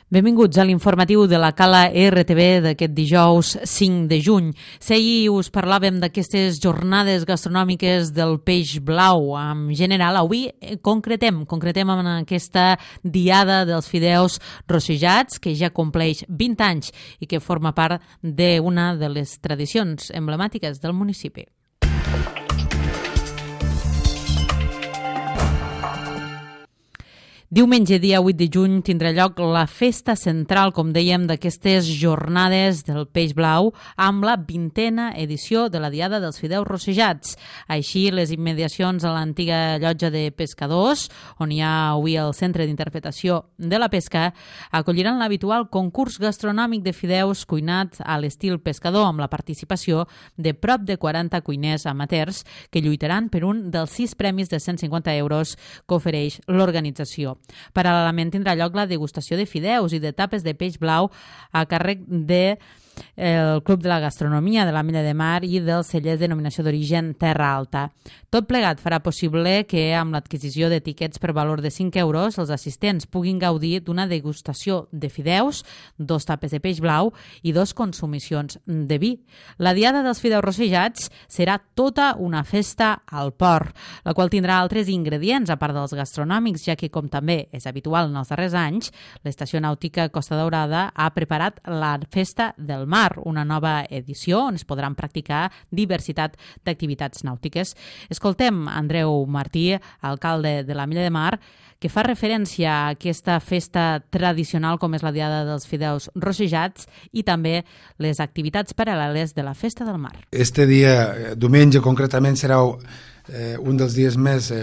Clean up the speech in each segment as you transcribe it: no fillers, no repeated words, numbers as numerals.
Benvinguts a l'informatiu de la Cala RTV d'aquest dijous 5 de juny. Ahir us parlàvem d'aquestes jornades gastronòmiques del peix blau. En general, avui concretem en aquesta diada dels fideus rossejats, que ja compleix 20 anys i que forma part d'una de les tradicions emblemàtiques del municipi. Diumenge, dia 8 de juny, tindrà lloc la festa central, com dèiem, d'aquestes jornades del peix blau amb la 20a edició de la Diada dels Fideus Rossejats. Així, les immediacions a l'antiga llotja de pescadors, on hi ha avui el Centre d'Interpretació de la Pesca, acolliran l'habitual concurs gastronòmic de fideus cuinat a l'estil pescador, amb la participació de prop de 40 cuiners amateurs que lluitaran per un dels 6 premis de 150 euros que ofereix l'organització. Paral·lelament tindrà lloc la degustació de fideus i de tapes de peix blau a càrrec del Club de la Gastronomia de l'Ametlla de Mar i dels cellers de denominació d'origen Terra Alta. Tot plegat farà possible que, amb l'adquisició de tiquets per valor de 5 euros, els assistents puguin gaudir d'una degustació de fideus, 2 tapes de peix blau i 2 consumicions de vi. La Diada dels Fideus Rossejats serà tota una festa al port, la qual tindrà altres ingredients a part dels gastronòmics, ja que, com també és habitual en els darrers anys, l'Estació Nàutica Costa Daurada ha preparat la Festa del Mar, una nova edició on es podran practicar diversitat d'activitats nàutiques. Escoltem Andreu Martí, alcalde de l'Ametlla de Mar, que fa referència a aquesta festa tradicional com és la Diada dels Fideus Rossejats i també les activitats paral·leles de la Festa del Mar. Este dia, diumenge concretament, serà un dels dies més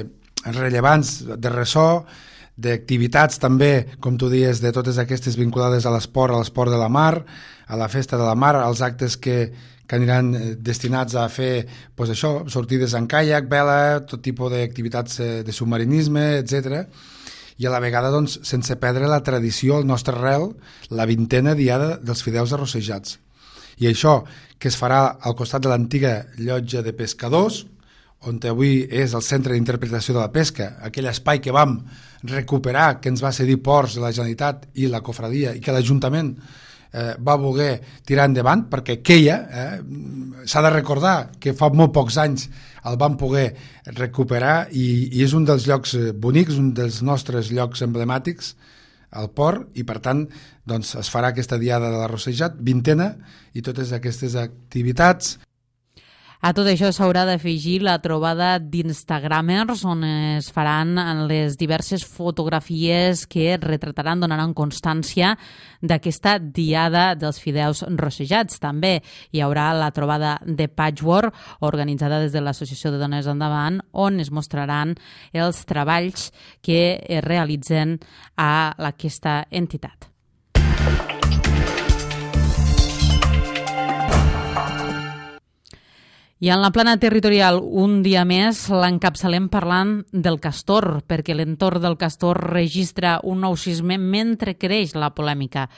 rellevants de ressò, d'activitats també, com tu dius, de totes aquestes vinculades a l'esport de la mar, a la festa de la mar, als actes que aniran destinats a fer sortides en caiac, vela, tot tipus d'activitats de submarinisme, etc. I a la vegada, sense perdre la tradició, el nostre arrel, la 20a Diada dels Fideus Rossejats. I això, que es farà al costat de l'antiga llotja de pescadors, on avui és el Centre d'Interpretació de la Pesca, aquell espai que vam recuperar, que ens va cedir Ports de la Generalitat i la Cofradia, i que l'Ajuntament va voler tirar endavant, perquè queia, s'ha de recordar que fa molt pocs anys el vam poder recuperar i és un dels llocs bonics, un dels nostres llocs emblemàtics, al port, i per tant es farà aquesta Diada de la Rossejat, 20a, i totes aquestes activitats. A tot això s'haurà d'afegir la trobada d'Instagramers, on es faran les diverses fotografies que retrataran, donaran constància d'aquesta Diada dels Fideus Rossejats. També hi haurà la trobada de Patchwork, organitzada des de l'Associació de Dones Endavant, on es mostraran els treballs que es realitzen a aquesta entitat. I en la plana territorial, un dia més, l'encapçalem parlant del castor, perquè l'entorn del castor registra un nou sisme mentre creix la polèmica.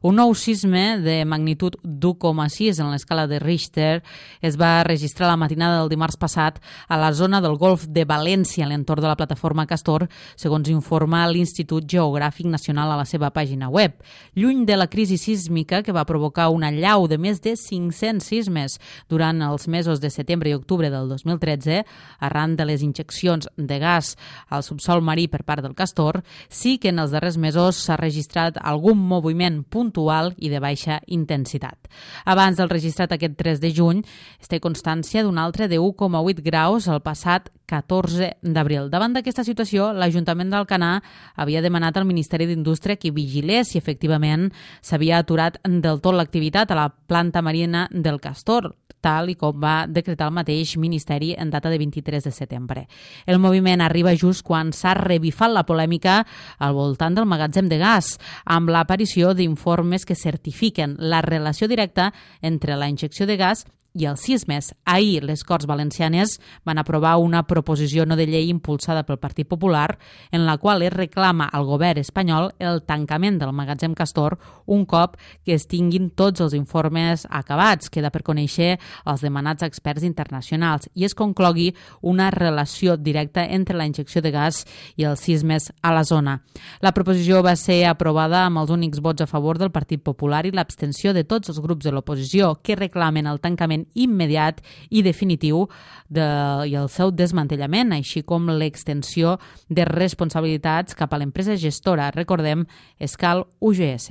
Un nou sisme de magnitud d'1,6 en l'escala de Richter es va registrar la matinada del dimarts passat a la zona del Golf de València, a l'entorn de la plataforma Castor, segons informa l'Institut Geogràfic Nacional a la seva pàgina web. Lluny de la crisi sísmica que va provocar una allau de més de 500 sismes durant els mesos de setembre i octubre del 2013, arran de les injeccions de gas al subsol marí per part del castor, sí que en els darrers mesos s'ha registrat algun moviment puntual i de baixa intensitat. Abans del registrat aquest 3 de juny, es té constància d'un altre de 1,8 graus el passat 14 d'abril. Davant d'aquesta situació, l'Ajuntament d'Alcanar havia demanat al Ministeri d'Indústria que vigilés si efectivament s'havia aturat del tot l'activitat a la planta marina del castor, tal i com va decretar el mateix Ministeri en data de 23 de setembre. El moviment arriba just quan s'ha revifat la polèmica al voltant del magatzem de gas, amb l'aparició d'informes que certifiquen la relació directa entre la injecció de gas i el sismes. Ahir les Corts Valencianes van aprovar una proposició no de llei impulsada pel Partit Popular en la qual es reclama al govern espanyol el tancament del magatzem Castor un cop que es tinguin tots els informes acabats. Queda per conèixer els demanats experts internacionals i es conclogui una relació directa entre la injecció de gas i els sismes a la zona. La proposició va ser aprovada amb els únics vots a favor del Partit Popular i l'abstenció de tots els grups de l'oposició que reclamen el tancament immediat i definitiu i el seu desmantellament, així com l'extensió de responsabilitats cap a l'empresa gestora, recordem, Escal UGS.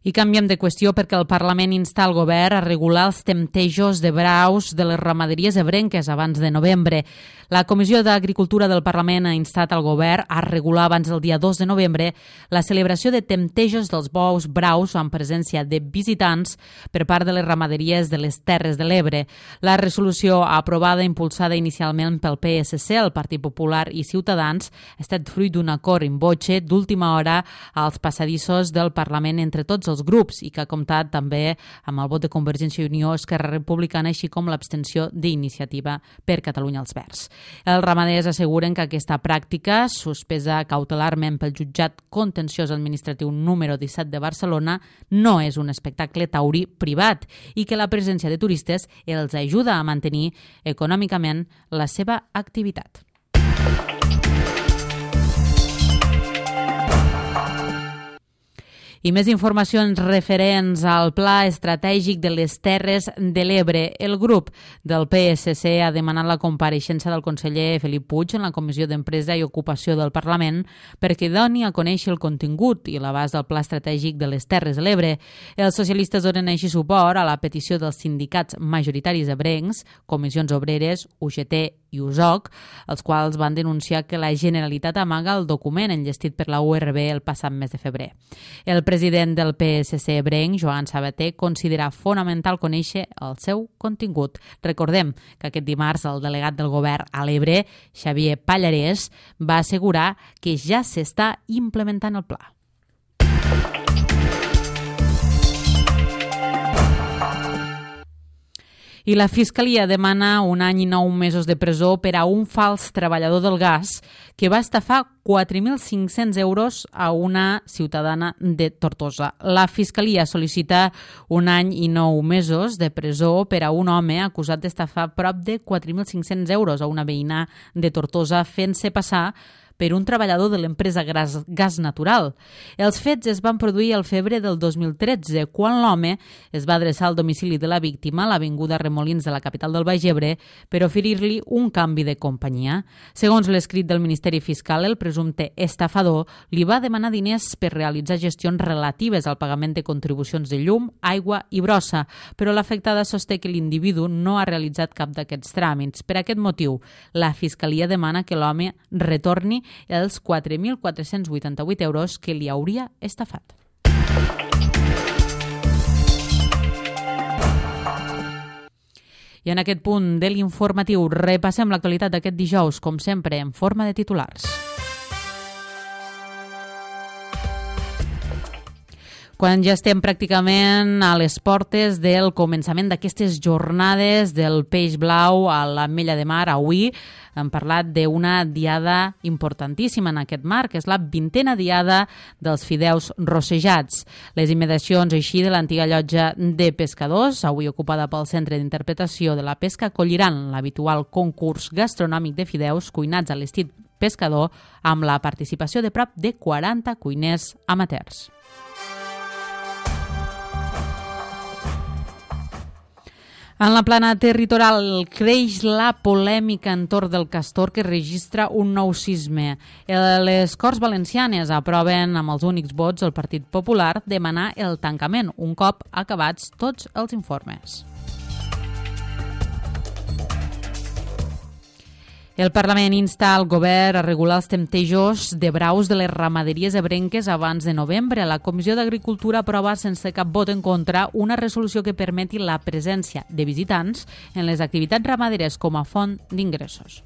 I canviem de qüestió perquè el Parlament insta el govern a regular els temptejos de braus de les ramaderies ebrenques abans de novembre. La Comissió d'Agricultura del Parlament ha instat al govern a regular abans del dia 2 de novembre la celebració de temptejos dels bous braus amb presència de visitants per part de les ramaderies de les Terres de l'Ebre. La resolució aprovada impulsada inicialment pel PSC, el Partit Popular i Ciutadans ha estat fruit d'un acord in voce d'última hora als passadissos del Parlament entre tots els grups i que ha comptat també amb el vot de Convergència i Unió, Esquerra Republicana, així com l'abstenció d'Iniciativa per Catalunya als Verds. Els ramaders asseguren que aquesta pràctica, suspesa cautelarment pel jutjat contenciós administratiu número 17 de Barcelona, no és un espectacle taurí privat i que la presència de turistes els ajuda a mantenir econòmicament la seva activitat. I més informacions referents al Pla Estratègic de les Terres de l'Ebre. El grup del PSC ha demanat la compareixença del conseller Felip Puig en la Comissió d'Empresa i Ocupació del Parlament perquè doni a conèixer el contingut i l'abast del Pla Estratègic de les Terres de l'Ebre. Els socialistes donen així suport a la petició dels sindicats majoritaris ebrencs, Comissions Obreres, UGT i USOC, els quals van denunciar que la Generalitat amaga el document enllestit per la URB el passat mes de febrer. El president del PSC ebrenc, Joan Sabater, considera fonamental conèixer el seu contingut. Recordem que aquest dimarts el delegat del govern a l'Ebre, Xavier Pallarès, va assegurar que ja s'està implementant el pla. I la Fiscalia demana 1 any i 9 mesos de presó per a un fals treballador del gas que va estafar 4.500 euros a una ciutadana de Tortosa. La Fiscalia sol·licita 1 any i 9 mesos de presó per a un home acusat d'estafar prop de 4.500 euros a una veïna de Tortosa fent-se passar per un treballador de l'empresa Gas Natural. Els fets es van produir al febrer del 2013, quan l'home es va adreçar al domicili de la víctima, a l'avinguda Remolins de la capital del Baix Ebre, per oferir-li un canvi de companyia. Segons l'escrit del Ministeri Fiscal, el presumpte estafador li va demanar diners per realitzar gestions relatives al pagament de contribucions de llum, aigua i brossa, però l'afectada sosté que l'individu no ha realitzat cap d'aquests tràmits. Per aquest motiu, la Fiscalia demana que l'home retorni els 4.488 euros que li hauria estafat. I en aquest punt de l'informatiu repassem l'actualitat d'aquest dijous, com sempre, en forma de titulars. Quan ja estem pràcticament a les portes del començament d'aquestes jornades del peix blau a l'Ametlla de Mar, avui hem parlat d'una diada importantíssima en aquest marc, que és la 20a diada dels fideus rossejats. Les immediacions així de l'antiga llotja de pescadors, avui ocupada pel Centre d'Interpretació de la Pesca, acolliran l'habitual concurs gastronòmic de fideus cuinats a l'estil pescador amb la participació de prop de 40 cuiners amateurs. En la plana territorial creix la polèmica entorn del castor que registra un nou sisme. Les Corts Valencianes aproven amb els únics vots del Partit Popular demanar el tancament un cop acabats tots els informes. El Parlament insta al govern a regular els temptejos de braus de les ramaderies ebrenques abans de novembre. La Comissió d'Agricultura aprova sense cap vot en contra una resolució que permeti la presència de visitants en les activitats ramaderes com a font d'ingressos.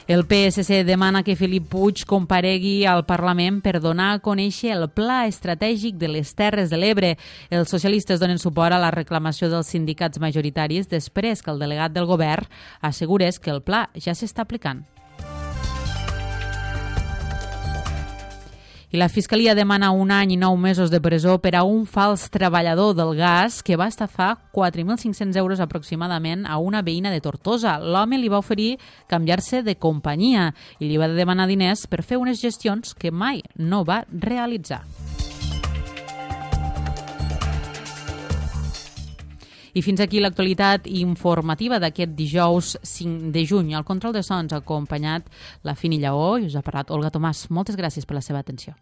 El PSC demana que Felip Puig comparegui al Parlament per donar a conèixer el pla estratègic de les Terres de l'Ebre. Els socialistes donen suport a la reclamació dels sindicats majoritaris després que el delegat del govern assegurés que el pla ja s'està aplicant. I la Fiscalia demana 1 any i 9 mesos de presó per a un fals treballador del gas que va estafar 4.500 euros aproximadament a una veïna de Tortosa. L'home li va oferir canviar-se de companyia i li va demanar diners per fer unes gestions que mai no va realitzar. I fins aquí l'actualitat informativa d'aquest dijous 5 de juny. Al control de sons ha acompanyat la Fini Lleó i us ha parlat Olga Tomàs. Moltes gràcies per la seva atenció.